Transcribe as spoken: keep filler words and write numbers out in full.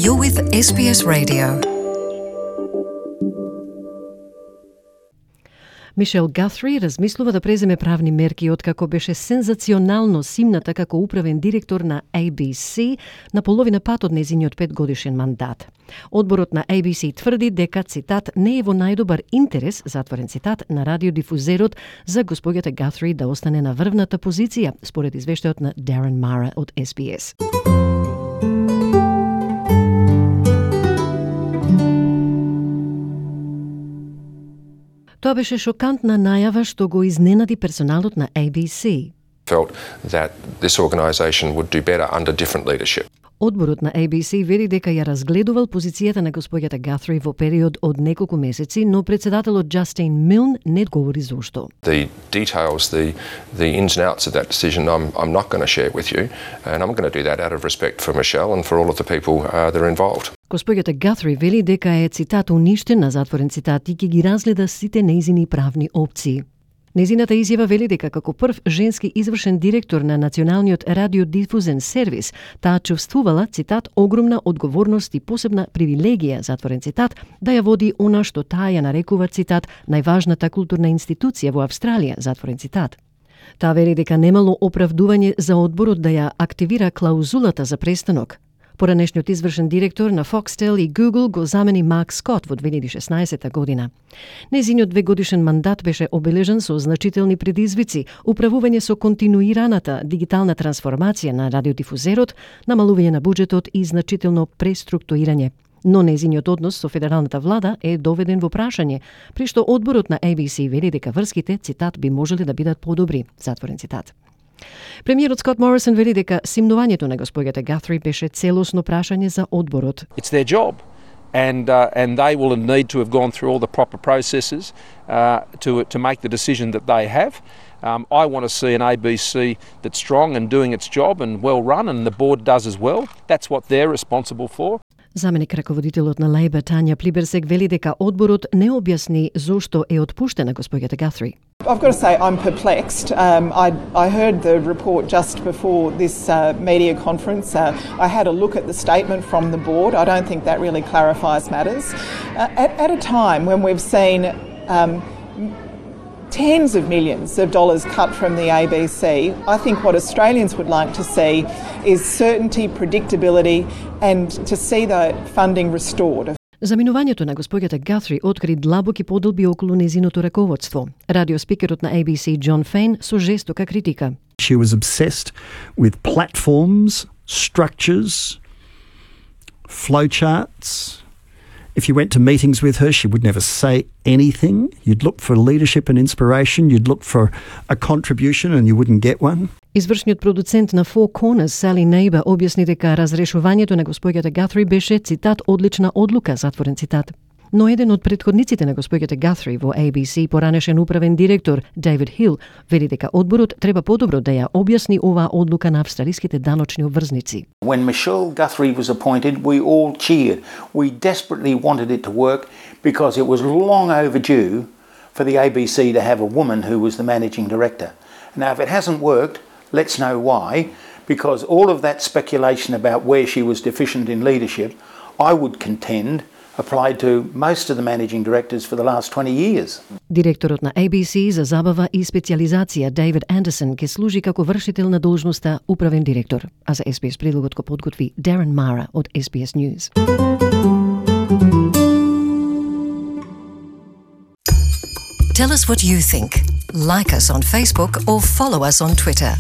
You're with S B S Radio. Мишел Гатри размислува да преземе правни мерки откако беше сензационално симната како управен директор на A B C на половина пат од нејзиниот петгодишен мандат. Одборот на A B C тврди дека, цитат, не е во најдобар интерес, затворен цитат, на радиодифузерот за господјата Гатри да остане на врвната позиција, според извештајот на Darren Mara од S B S. Тоа беше шокантна најава што го изненади персоналот на A B C. Felt that this organisation would do better under different leadership. Одборот на A B C вели дека ја разгледувал позицијата на господјата Гатри во период од неколку месеци, но председателот Justine Milne не говори зошто. The details, the the ins and outs of that decision, I'm I'm not going to share with you, and I'm going to do that out of respect for Michelle and for all of the people uh, that are involved. Господјата Гатри вели дека е, цитат, уништена, затворен цитат, и ќе ги разгледа сите нејзини правни опции. Незината изјава вели дека како прв женски извршен директор на Националниот радиодифузен сервис, таа чувствувала, цитат, огромна одговорност и посебна привилегија, затворен цитат, да ја води она што таа ја нарекува, цитат, најважната културна институција во Австралија, затворен цитат. Таа вели дека немало оправдување за одборот да ја активира клаузулата за престанок. Поранешниот извршен директор на Foxtel и Google го замени Марк Скот во две илјади и шеснаесета година. Незиниот двегодишен мандат беше обележан со значителни предизвици, управување со континуираната дигитална трансформација на радиодифузерот, намалување на буџетот и значително преструктурирање. Но незиниот однос со федералната влада е доведен во прашање, при што одборот на A B C вели дека врските, цитат, би можеле да бидат подобри, затворен цитат. Премиерот Скот Морисон вели дека симнувањето на господјата Гатри беше целосно прашање за одборот. It's their job, and uh, and they will need to have gone through all the proper processes uh, to to make the decision that they have. Um, I want to see an A B C that's strong and doing its job and well run, and the board does as well. That's what they're responsible for. Заменик раководителот на Лейбер Тања Плиберсек вели дека одборот не објасни зошто е отпуштена господјата Гатри. I've got to say I'm perplexed. Um, I, I heard the report just before this uh, media conference. Uh, I had a look at the statement from the board. I don't think that really clarifies matters. Uh, at, at a time when we've seen um, tens of millions of dollars cut from the A B C, I think what Australians would like to see is certainty, predictability, and to see the funding restored. Заминувањето на господјата Гатри откри длабоки подолби околу незиното раководство. Радиоспикерот на A B C Jon Faine со жестока критика. She was obsessed with platforms, structures, flowcharts. If you went to meetings with her, she would never say anything. You'd look for leadership and inspiration. You'd look for a contribution and you wouldn't get one. Извршниот продуцент на Four Corners, Sally Neighbor, објасни дека разрешувањето на господјата Гатри беше, цитат, одлична одлука, затворен цитат. Но еден од претходниците на господјата Гатри во A B C, поранешен управен директор Дейвид Хил, вели дека одборот треба подобро да ја објасни оваа одлука на австралиските даночни обврзници. When Michelle Guthrie was appointed, we all cheered. We desperately wanted it to work because it was long overdue for the A B C to have a woman who was the managing director. Now, if it hasn't worked, let's know why, because all of that speculation about where she was deficient in leadership, I would contend, applied to most of the managing directors for the last twenty years. Директорот на A B C за забава и специализација Дейвид Андерсон ќе служи како вршител на должноста управен директор, а за S B S предлогот го подготви Darren Mara од S B S News. Tell us what you think. Like us on Facebook or follow us on Twitter.